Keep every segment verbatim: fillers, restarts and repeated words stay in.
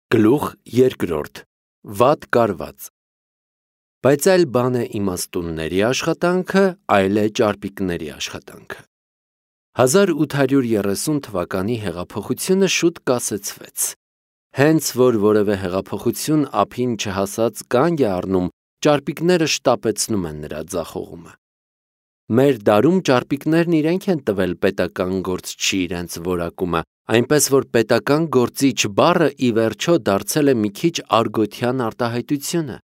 Գլուխ երկրորդ. Վատ կարված։ Բայց այլ բան է իմաստունների աշխատանքը, այլ է ճարպիկների աշխատանքը։ հազար ութ հարյուր երեսուն թվականի հեղափոխությունը շուտ կասեցվեց։ Հենց որ որևէ հեղափոխություն ափին չհասած կանգ է առնում, ճարպիկները շտապեցնում են նրա ձախողումը։ Մեր դարում ճարպիկներն իրենք են տվել պետական գործչի իրենց որակումը, այնպես որ պետական գործիչ բառը ի վերջո դարձել է մի քիչ արգոթյան արտահայտությունը։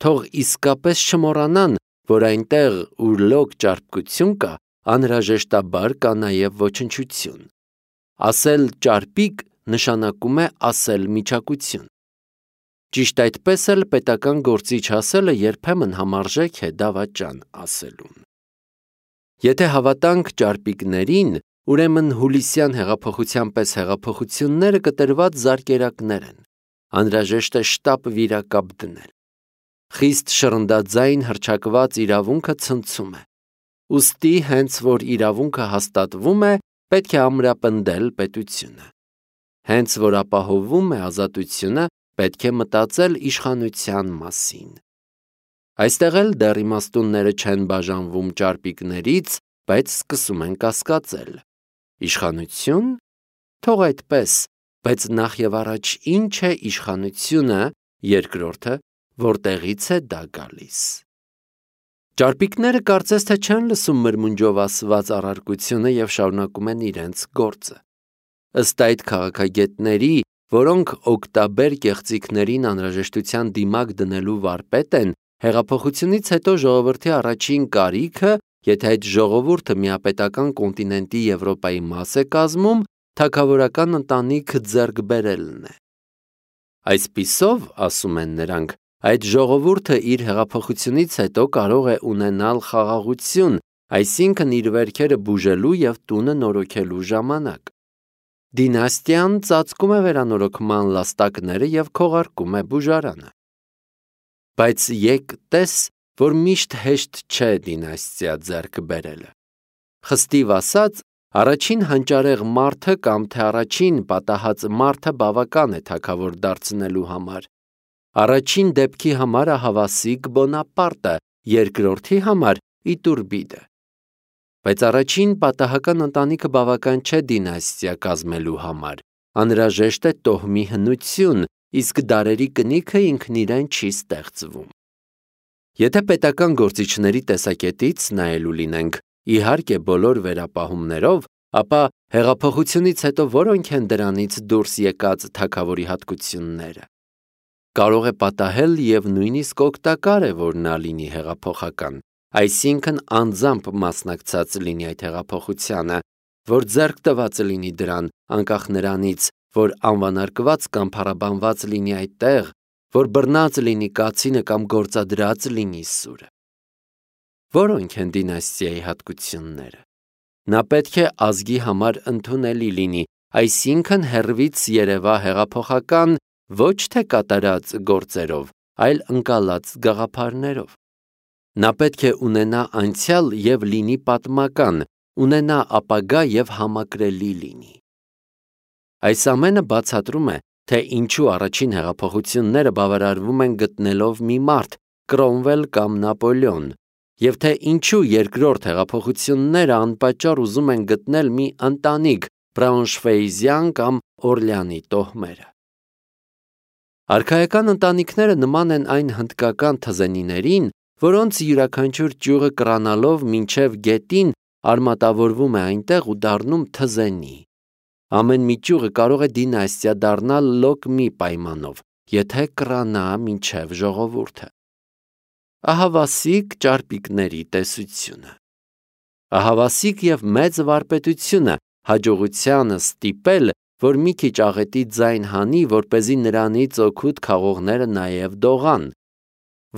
Թող իսկապես չմոռանան, որ այնտեղ, ուր լոկ ճարպկություն կա, անհրաժեշտաբար կա նաև ոչնչություն։ Ասել ճարպիկ նշանակում է ասել միջակություն։ Ճիշտ այդպես էլ պետական գործիչ ասելը երբեմն համարժեք է դավաճան ասելուն։ Եթե հավատանք ճարպիկներին, ուրեմն հուլիսյան հեղափոխության պես հեղափոխությունները կտրված զարկերակներ են, անհրաժեշտ է շտապ վիրակապ դնել։ Խիստ շռնդաձայն հռչակված իրավունքը ցնցում է։ Ուստի հենց որ իրավունքը հաստատվում է, պետք է ամրապնդել պետությունը։ Հենց որ ապահովվում է ազատությունը, պետք է մտածել իշխանության մասին։ Այստեղ էլ դեռ իմաստունները չեն բաժանվում ճարպիկներից, բայց սկսում են կասկածել։ Իշխանություն։ Թող այդպես, բայց նախ եւ առաջ ինչ է իշխանությունը, երկրորդը, որտեղից է դա գալիս։ Ճարպիկները կարծես թե չեն լսում մրմունջով ասված առարկությունը եւ շարունակում են իրենց գործը։ Ըստ այդ քաղաքագետների, որոնք օկտաբեր կեղծիքներին անհրաժեշտության դիմակ դնելու վարպետ են, հեղափոխությունից հետո ժողովրդի առաջին կարիքը, եթե այդ ժողովուրդը միապետական կոնտինենտի Եվրոպայի մաս է կազմում, թագավորական ընտանիք ձեռք բերելն է։ Այսպիսով, ասում են նրանք, այդ ժողովուրդը իր հեղափոխությունից հետո կարող է ունենալ խաղաղություն, այսինքն իր վերքերը բուժելու եւ տունը նորոգելու ժամանակ։ Դինաստիան ծածկում է վերանորոգման լաստակները եւ քողարկում է բուժարանը։ Բայց եկ տես, որ միշտ հեշտ չէ դինաստիա ձեռք բերելը։ Խստիվ ասած, առաջին հանճարեղ մարդը կամ թե առաջին պատահած մարդը բավական է թագավոր դարձնելու համար։ Առաջին դեպքի համար ահավասիկ Բոնապարտը, երկրորդի համար Իտուրբիդը։ Բայց առաջին պատահական ընտանիքը բավական չէ դինաստիա կազմելու համար։ Անհրաժեշտ է տոհմի հնություն, իսկ դարերի կնիքը ինքն իրեն չի ստեղծվում։ Եթե պետական գործիչների տեսակետից նայելու լինենք, իհարկե բոլոր վերապահումներով, ապա հեղափոխությունից հետո որոնք են դրանից դուրս եկած թագավորի հատկությունները։ Կարող է պատահել եւ նույնիսկ օգտակար է, որ նա լինի հեղափոխական, այսինքն անձամբ մասնակցած լինի այդ հեղափոխությանը, որ ձեռք տված լինի դրան, անկախ նրանից, որ անվանարկված կամ փառաբանված լինի այդտեղ, որ բռնած լինի կացինը կամ գործադրած լինի սուրը։ Որոնք են դինաստիայի հատկությունները։ Նա պետք է ազգի համար ընդունելի լինի, այսինքն հեռվից երևա հեղափոխական ոչ թե կատարած գործերով, այլ ընկալած գաղափարներով։ Նա պետք է ունենա անցյալ եւ լինի պատմական, ունենա ապագա եւ համակրելի լինի։ Այս ամենը բացատրում է, թե ինչու առաջին հեղափոխությունները բավարարվում են գտնելով մի մարդ, Կրոմվել կամ Նապոլեոն, եւ թե ինչու երկրորդ հեղափոխությունները անպատճառ ուզում են գտնել մի ընտանիք, Բրաունշվեիզյան կամ Օրլեանի տոհմերը։ Արքայական ընտանիքները նման են այն հնդկական թզենիներին, որոնց յուրաքանչյուր ճյուղը կռանալով մինչև գետին արմատավորվում է այնտեղ ու դառնում թզենի։ Ամեն մի ճյուղը կարող է դինաստիա դառնալ լոկ մի պայմանով, եթե կռանա մինչև ժողովուրդը։ Ահավասիկ ճարպիկների տեսությունը։ Ահավասիկ եւ մեծ վարպետությունը հաջողությանը ստիպել, որ մի քիչ աղետի ձայն հանի, որպեսզի նրանից օգուտ քաղողները նաև դողան։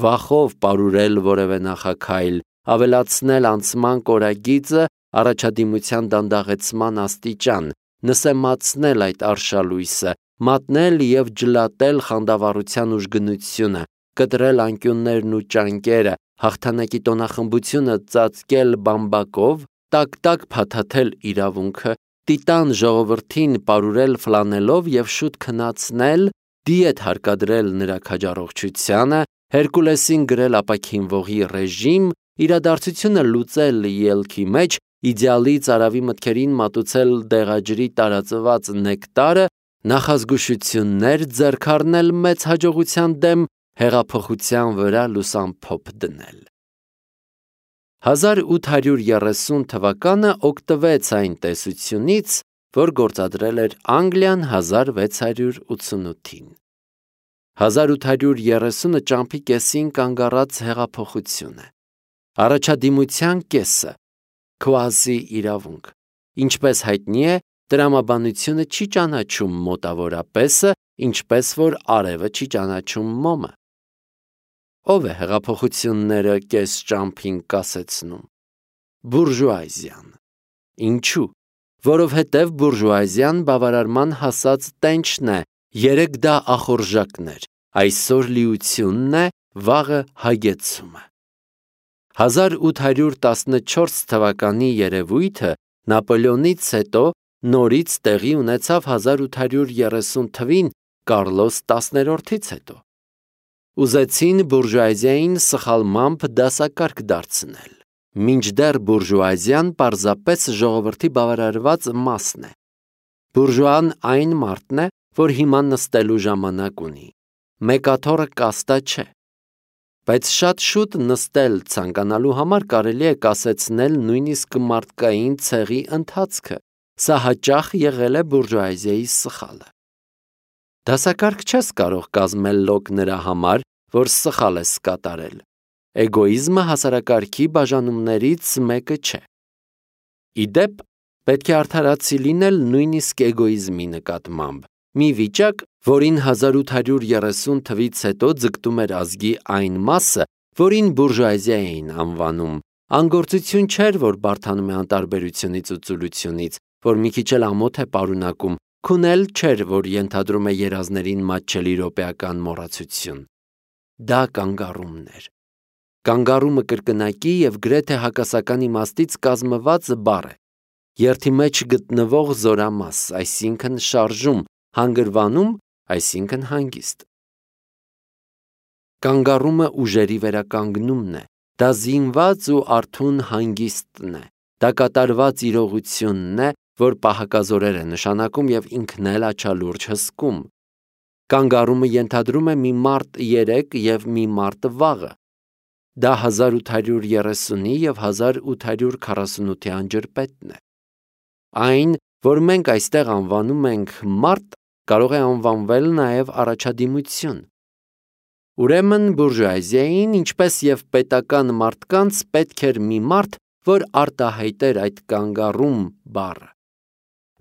Վախով պարուրել որևէ նախաքայլ, ավելացնել անցման կորագիծը, առաջադիմության դանդաղեցման աստիճան, նսեմացնել այդ արշալույսը, մատնել եւ ջլատել խանդավառության ուժգնությունը, կտրել անկյուններն ու ճանկերը, հաղթանակի տոնախմբությունը ծածկել բամբակով, տակ-տակ փաթաթել իրավունքը, տիտան ժողովրդին պարուրել ֆլանելով եւ շուտ քնացնել, դիետ հարկադրել նրա քաջառողջությանը, Հերկուլեսին գրել ապաքինվողի ռեժիմ, իրադարձությունը լուծել ելքի մեջ, իդեալից արավի մտքերին մատուցել դեղաջրի տարածված նեկտարը, նախազգուշություններ ձեռք առնել մեծ հաջողության դեմ, հեղափոխության վրա լուսամփոփ դնել։ հազար ութ հարյուր երեսուն թվականը օգտվեց այն տեսությունից, որ գործադրել էր Անգլիան հազար վեց հարյուր ութսունութին։ հազար ութ հարյուր երեսունը ճամփի կեսին կանգ առած հեղափոխություն է։ Առաջադիմության կեսը, քվազի իրավունք, ինչպես հայտնի է, տրամաբանությունը չի ճանաչում մոտավորապես, ինչպես որ արևը չի ճանաչում մոմը։ Ով է հեղափոխությունները կես ճամփին կասեցնում։ Բուրժուազիան։ Ինչու։ Որովհետև բուրժուազիան բավարարման հասած տենչն է, երեկ դա ախորժակներ, այսօր լիությունն է, վաղը հագեցումը։ հազար ութ հարյուր տասնչորս թվականի երևույթը Նապոլեոնից հետո նորից տեղի ունեցավ հազար ութ հարյուր երեսուն թվին Կարլոս տասներորդից հետո։ Ուզեցին բուրժուազիային սխալմամբ դասակարգ դարձնել, մինչդեռ բուրժուազիան պարզապես ժողովրդի բավարարված մասն է։ Բուրժուան այն մարդն է, որ հիմա նստելու ժամանակ ունի, մեկաթոռը կաստա չէ։ Բայց շատ շուտ նստել ցանկանալու համար կարելի է կասեցնել նույնիսկ մարդկային ցեղի ընթացքը, սա հաճախ եղել է բուրժուազիայի սխալը։ Դասակարգ չես կարող կազմել լոկ նրա համար, որ սխալ ես կատարել։ Էգոիզմը հասարակարգի բաժանումներից մեկը չէ։ Իդեպ, պետք է արդարացի լինել նույնիսկ էգոիզմի նկատմամբ, մի վիճակ, որին հազար ութ հարյուր երեսուն թվից հետո ձգտում էր ազգի այն մասը, որին բուրժուազիա էին անվանում, անգործություն չէր, որ բարդանում է անտարբերությունից ու ծուլությունից, որ մի քիչ էլ ամոթ է պարունակում, քունել չէր, որ ենթադրում է երազներին մատչելի րոպեական մոռացություն։ Դա կանգառումն էր։ Կանգառումը կրկնակի և գրեթե հակասական իմաստից կազմված բառ է։ Երթի մեջ գտնվող զորամաս, այսինքն շարժում, հանգրվանում, այսինքն հանգիստ։ Կանգառումը ուժերի վերականգնումն է, դա զինված ու արթուն հանգիստն է, դա կատարված իրողությունն է, որ պահակազորեր է նշանակում և ինքն էլ աչալուրջ հսկում։ Կանգառումը ենթադրում է մի մարդ երեկ և մի մարդ վաղը։ Դա հազար ութ հարյուր երեսունի և հազար ութ հարյուր քառասունութի անջրպետն է։ Այն, որ մենք այստեղ անվանում ենք մարդ, կարող է անվանվել նաև առաջադիմություն։ Ուրեմն բուրժուազիային, ինչպես և պետական մարդկանց, պետք էր մի մարդ, որ արտահայտեր այդ կանգառում բառը։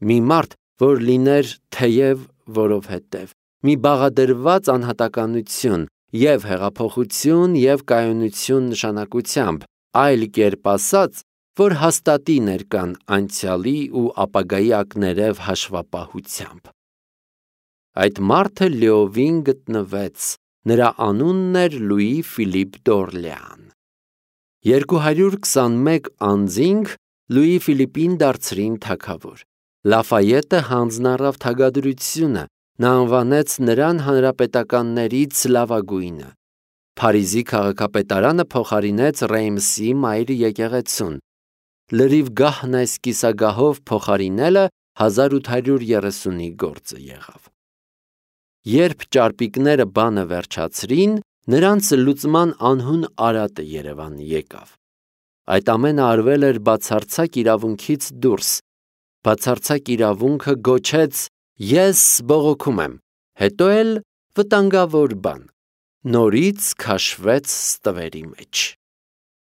Մի մարդ, որ լիներ թեև, որովհետև, մի բաղադրված անհատականություն և հեղափոխություն և կայունություն նշանակությամբ, այլ կերպ ասած, որ հաստատի ներկան անցյալի ու ապագայի ակներև հաշվապահությամբ։ Այդ մարդը լիովին գտնվեց, նրա անունն էր Լուի Ֆիլիպ դ'Օրլեան։ երկու հարյուր քսանմեկ անձինք Լուի Ֆիլիպին դարձրին թագավոր։ Լաֆայետը հանձն առավ թագադրությունը, նա անվանեց նրան հանրապետականներից լավագույնը։ Փարիզի քաղաքապետարանը փոխարինեց Ռեյմսի մայր եկեղեցուն։ Լրիվ գահն այս կիսագահով փոխարինելը հազար ութ հարյուր երեսունի գործը եղավ։ Երբ ճարպիկները բանը վերջացրին, նրանց լուծման անհուն արատը Երևան եկավ։ Այդ ամենը արվել էր բացարձակ իրավունքից դուրս։ Բացարձակ իրավունքը գոչեց. «Ես բողոքում եմ», հետո էլ վտանգավոր բան, նորից քաշվեց ստվերի մեջ։